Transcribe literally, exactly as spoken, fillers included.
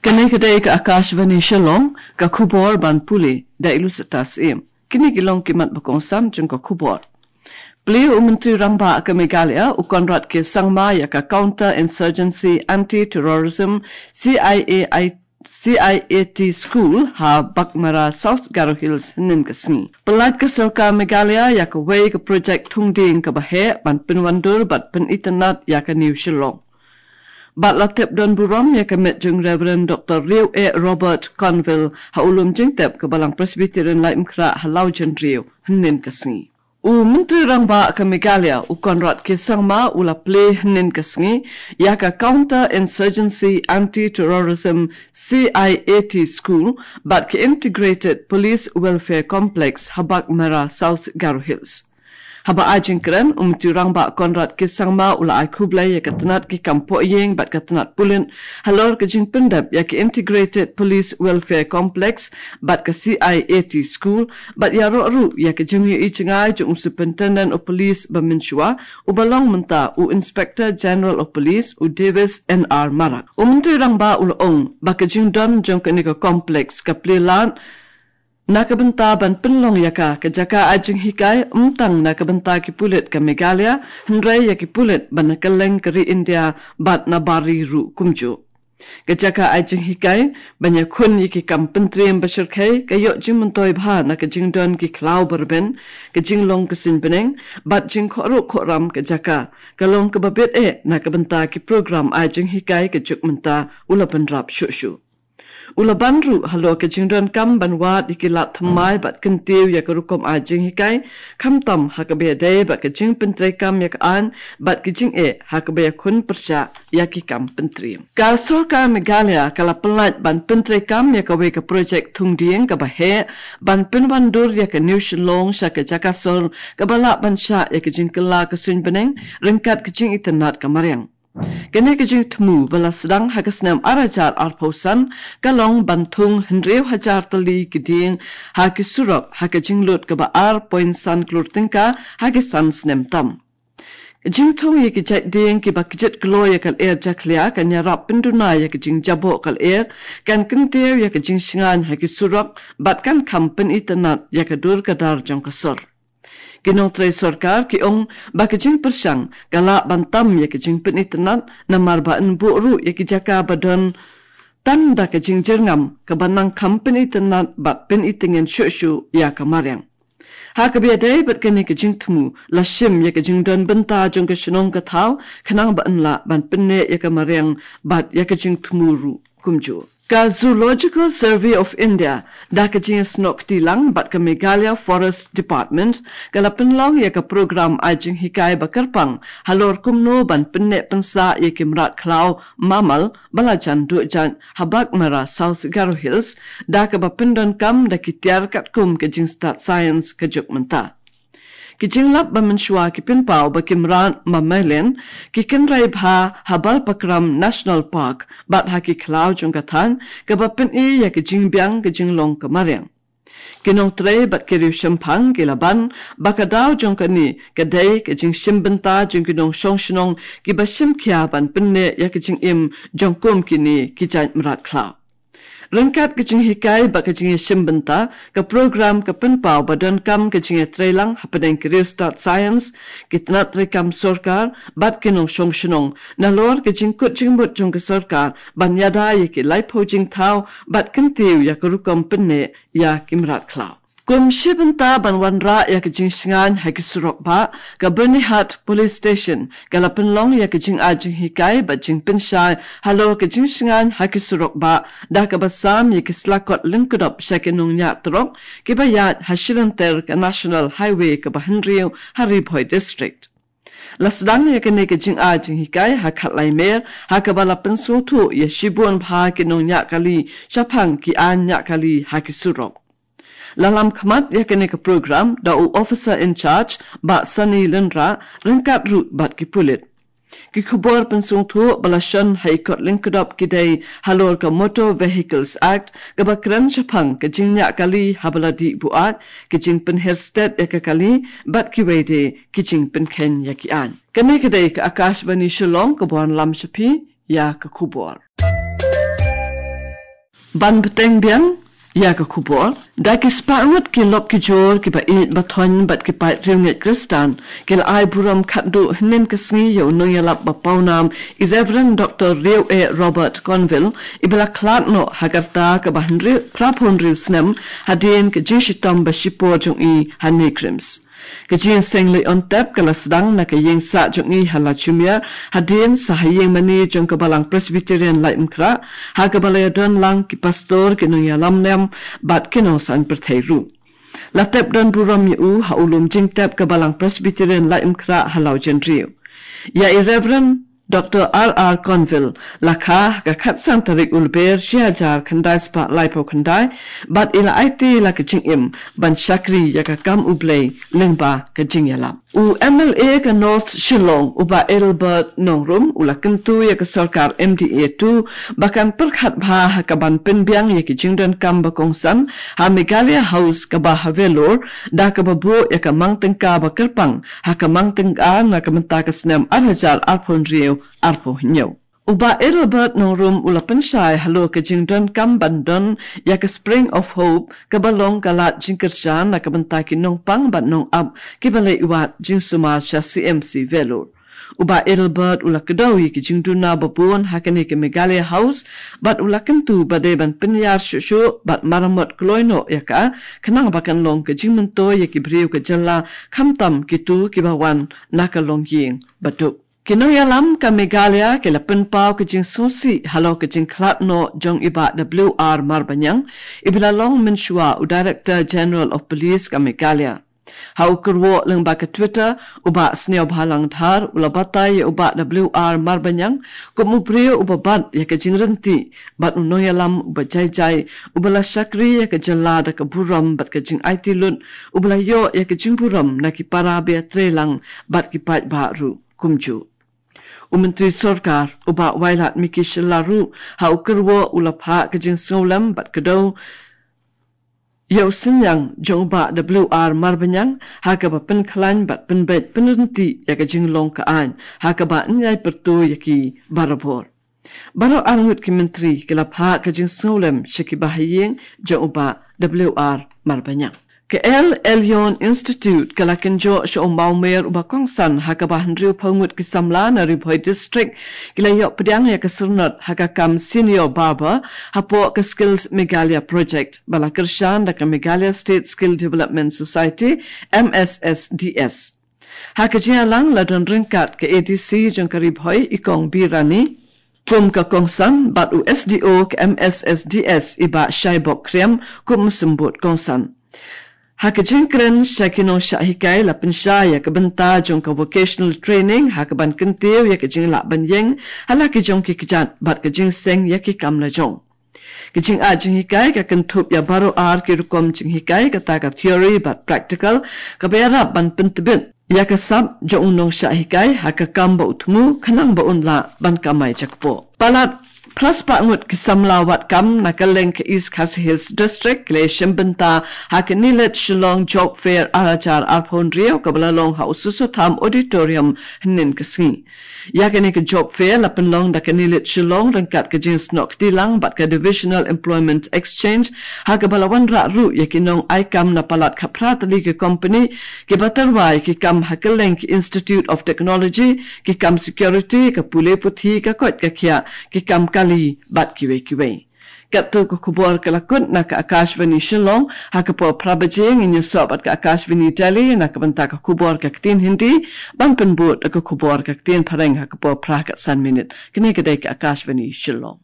Kane ka dei ka Akashvani Shillong, ka khubor ban pule da i Lucetta Syiem. Kine ki long ki mat ba kongsan jong ka khubor. Plie u Myntri Rangbah ka Meghalaya, u Conrad K Sangma, ïa ka Counter Insurgency Anti-Terrorism C I A I, C I A T School ha Baghmara, South Garo Hills, hynnin ka sngi. Pynlait ka Sorkar Meghalaya ïa kawei ka projek thung dieng kaba heh ban pynwandur bad pynitynnad ïa ka New Shillong. Bad la tep don burom ïa ka met jong Reverend Doctor Riew E Robert Conville ha u lum jingtep ka Balang Presbyterian Laitumkhrah ha Lawjynriew hynnin ka sngi. U Myntri Rangbah ka Meghalaya, u Conrad K Sangma, u la plie hynnin ka sngi ïa ka Counter Insurgency Anti-Terrorism C I A T School bad ka Integrated Police Welfare Complex ha Baghmara, South Garo Hills. Haba ai jingkren, u Myntri Rangbah Conrad K Sangma u la ai khublei ïa ka tnat ki kam pohïing bad ka tnat pulit halor ka jingpyndep ïa ka Integrated Police Welfare Complex bad ka C I A T School, bad ïaroh ruh ïa ka jingïohi jngai jong u Superintendent of Police ba mynshuwa, uba long mynta u Inspector General of Police, u Davis N R Marak. U Myntri Rangbah u la ong ba ka jingdon jong kane ka complex ka plie lad na ka bynta ban pynlong ïa ka ka jaka ai jinghikai, ym tang na ka bynta ki pulit ka Meghalaya, hynrei ïa ki pulit ba na kylleng ka ri India bad na bar ri ruh kumjuh. Ka jaka ai jinghikai ban ïakhun ïa ki kam pyntriem ba shyrkhei ka ïoh jingmyntoi bha na ka jingdon ki khlaw ba rben, ka jinglong ka suiñ bneng bad jingkhohruh khohram ka jaka, ka long kaba bit eh na ka bynta ki program ai jinghikai ka juk mynta, u la bynrap shuh shuh. U la ban ruh halor ka jingdonkam ban wad ïa ki lad thymmai bad kyntiew ïa ka rukom ai jinghikai, khamtam ha kaba ïadei bad ka jingpyntreikam ïa ka aiñ bad ka jingeh ha kaba ïakhun pyrshah ïa ki kam pyntriem. Ka Sorkar Meghalaya ka la pynlait ban pyntreikam ïa kawei ka projek thung dieng kaba heh ban pynwandur ïa ka New Shillong sha ka jaka sor kaba lah ban shah ïa ka jingkylla ka suiñ bneng ryngkat ka jingitynnad ka mariang. Kane ka jingthmu ba la sdang ha ka snem ar hajar arphew san ka long ban thung hynriew hajar tylli ki dieng ha ki surok ha ka jinglut kaba ar point san klur tyngka ha ki san snem tam. Jingthung ïa ki jait dieng kiba kjit kloi ïa ka lyer jakhlia kan ïarap pynduna ïa ka jingjaboh ka lyer, kan kyntiew ïa ka jingshngaiñ ha ki surok bad kan kham pynitynnad ïa ka dur ka dar jong ka sor. Ki nongtrei sorkar ki ong ba ka jingpyrshang ka lah ban tam ïa ka jingpynitynnad namar ba yn buh ruh ïa ki jaka ba don tang da ka jingjyrngam kaba nang kham pynitynnad bad pynityngen shuh shuh ïa ka mariang. Ha kaba ïadei bad kane ka jingthmu la shim ïa ka jingdon bynta jong ka shnong ka thaw khnang ba yn lah ban pynneh ïa ka mariang bad ïa ka jingthmu ruh kumjuh. Ka Zoological Survey of India da ka jingïasnoh kti lang bad ka Meghalaya Forest Department ka la pynlong ïa ka program ai jinghikai ba kyrpang halor kumno ban pynneh pynsah ïa ki mrad khlaw mammal ba la jan duh jait ha Baghmara, South Garo Hills, da kaba pyndonkam da ki tiar katkum ka jingstad science ka juk mynta. Ki jinglap ba mynshuwa ki pynpaw ba ki mrad mammalian ki kynrei bha ha Balpakram National Park bad ha ki khlaw jong ka thaiñ, kaba pyni ïa ka jingbiang ka jinglong ka mariang. Ki nongtrei bad ki riewshemphang ki la ban ba ka daw jong kane ka dei ka jingshim bynta jong ki nongshong shnong kiba shim khia ban pynneh ïa ka jingim jong kum kine ki jait mrad khlaw. Ryngkat ka jinghikai bad ka jingïashim bynta, ka program ka pynpaw ba donkam ka jingïatreilang hapdeng ki riewstad science, ki tnat treikam sorkar bad ki nongshong shnong, nalor ka jingkut jingmut jong ka sorkar ban ïada ïa ki laiphew jingthaw bad kyntiew ïa ka rukom pynneh ïa ki mrad khlaw. Kum shi bynta ban wanrah ïa ka jingshngaiñ ha ki surok bah, ka Byrnihat Police Station ka la pynlong ïa ka jingai jinghikai bad jingpynshai halor ka jingshngaiñ ha ki surok bah, da kaba sam ïa ki slakot lyngkdop sha ki nongñiah trok kiba ïaid ha shilynter ka National Highway kaba hynriew ha Ri Bhoi District. La sdang ïa kane ka jingai jinghikai ha Khatlai Mer, ha kaba la pynsngewthuh ïa shibun bha ki nongñiah kali shaphang ki aiñ ñiah kali ha ki surok. La lam khmat ïa kane ka program da u Officer in Charge, Bah Sunny Lyngdoh, ryngkat ruh bad ki pulit. Ki khubor pynsngewthuh ba la shon ha ki kot lyngkdop ki dei halor ka Motor Vehicles Act, kaba kren shaphang ka jingñiah kali haba la dih buaid, ka jingpynher stet ïa ka kali, bad kiwei de ki jingpynkheiñ ïa ki aiñ. Kane ka dei ka Akashvani Shillong kaba wanlam sha phi ïa ka khubor. Ban bteng biang ïa ka khubor, da ki spah ngut ki lok ki jor, ki ba ïeit ba thoiñ bad ki paid riewngeit Khristan, ki la ai burom khatduh hynnin ka sngi ïa u nongïalap ba pawnam, i Reverend Doctor Riew E Robert Conville, i ba la khlad noh ha ka rta kaba hynriew, phra phew hynriew snem, hadien ka jingshitom ba shipor jong i ha NEIGRIHMS. Ka jingïaseng leit on tep ka la sdang na ka ïing sah jong i ha Lachumiere, hadien sa ha ïing mane jong ka Balang Presbyterian Laitumkhrah, ha kaba la ïadon lang ki pastor, ki nongïalam niam bad ki nongsaiñ pyrthei ruh. La tep don burom ïa u ha u lum jingtep ka Balang Presbyterian Laitumkhrah ha Lawjynriew. Ïa i Reverend Doctor R R Conville la kha ha ka khatsan tarik u Lber shi hajar khyndai spah laiphew khyndai, bad i la aiti la ka jingim ban shakri ïa ka kam U Blei lyngba ka jingïalap. U M L A ka North Shillong, u Bah Adelbert Nongrum, u la kyntu ïa ka sorkar M D A two ba kan pyrkhat bha ha ka ban pynbiang ïa ki jingdonkam ba kongsan ha Meghalaya House kaba ha Vellore, da kaba buh ïa ka mang tyngka ba kyrpang ha ka mang tyngka na ka bynta ka snem ar hajar arphew hynriew arphew hynñiew. U Bah Adelbert Nongrum u la pynshai halor ka jingdonkam ban don ïa ka Spring of Hope, kaba long ka lad jingkyrshan na ka bynta ki nongpang bad nongap ki ba leit wad jingsumar sha C M C Vellore. U Bah Adelbert u la kdew ïa ki jingduna ba bun ha kane ka Meghalaya House, bad u la kyntu ba dei ban pynïar shuh shuh bad maramot kloi noh ïa ka, khnang ba kan long ka jingmyntoi ïa ki briew ka jylla, khamtam kito ki ba wan na ka longïing ba duk. Ki nongïalam ka Meghalaya ki la pynpaw ka jingsngewsih halor ka jingkhlad noh jong i Bah W R Marbaniang, i ba la long mynshuwa u Director General of Police ka Meghalaya. Ha u kyrwoh lyngba ka Twitter, u Bah Sniawbhalang Dhar u la batai ïa u Bah W R Marbaniang kum u briew u ba bat ïa ka jingryntih bad u nongïalam u ba jai jai, u ba la shakri ïa ka jylla da ka burom bad ka jingaiti lut, u ba la ïoh ïa ka jingburom na ki para ba ïatreilang bad ki paidbah ruh kumjuh. U Myntri Sorkar, u Bah Wailadmiki Shylla ruh, ha u kyrwoh u la phah ka jingsngewlem bad kdew ïa u synñiang jong u Bah W R Marbaniang, ha kaba pynkhlaiñ bad pynbeit pynryntih ïa ka jinglong ka aiñ, ha kaba yn ïai pyrto ïa ki barabor. Baroh arngut ki myntri ki la phah ka jingsngewlem sha ki bahaïing jong u Bah W R Marbaniang. Ka El Elyon Institute ka la kynjoh sha u mawmer u ba kongsan ha kaba hynriewphew ngut ki samla na Ri Bhoi District ki la ïoh pdiang ïa ka syrnod ha ka kam Senior Barber hapoh ka Skills Meghalaya Project, ba la kyrshan da ka Meghalaya State Skill Development Society, M S S D S. Ha ka jingïalang la don ryngkat ka A D C jong ka Ri Bhoi, i Kong Birani, kum ka kongsan, bad u S D O ka M S S D S, i Bah Shaibok Khriam, kum u symbud kongsan. Ha ka jingkren sha ki nongshah hikai, la pynshai ïa ka bynta jong ka vocational training, ha kaban kyntiew ïa ka jinglah ban ïeng ha la ki jong ki kjat bad ka jingseng ïa ki kam lajong. Ka jingai jinghikai ka kynthup ïa baroh ar ki rukom jinghikai, kata ka theory bad practical, kaba ïarap ban pyntbit ïa ka sap jong u nongshah hikai ha ka kam ba u thmu, khnang ba un lah ban kamai jakpoh. Palat phra spah ngut ki samla wad kam na kylleng ka East Khasi Hills District ki la shim bynta ha ka NIELIT Shillong Job Fair ar hajar arphew hynriew, kaba la long ha u Soso Tham Auditorium hynnin ka sngi. Ïa kane ka job fair la pynlong da ka NIELIT Shillong ryngkat ka jingsnoh kti lang bad ka Divisional Employment Exchange, ha kaba la wanrah ruh ïa ki nongai kam na palat khatphra tylli ki company, ki ba tyrwa ïa ki kam ha kylleng ki Institute of Technology, ki kam security, ka pule puthi, ka koit ka khiah, ki kam kali bad kiwei kiwei. Katto ka khubor ka la kut na ka Akashvani Shillong, ha ka por phra baje ngin ïasoh bad ka Akashvani Delhi na ka bynta ka khubor ka ktien Hindi, ban pynbud ka khubor ka ktien Phareng ha ka por phra khatsan minit. Kane ka dei ka Akashvani Shillong.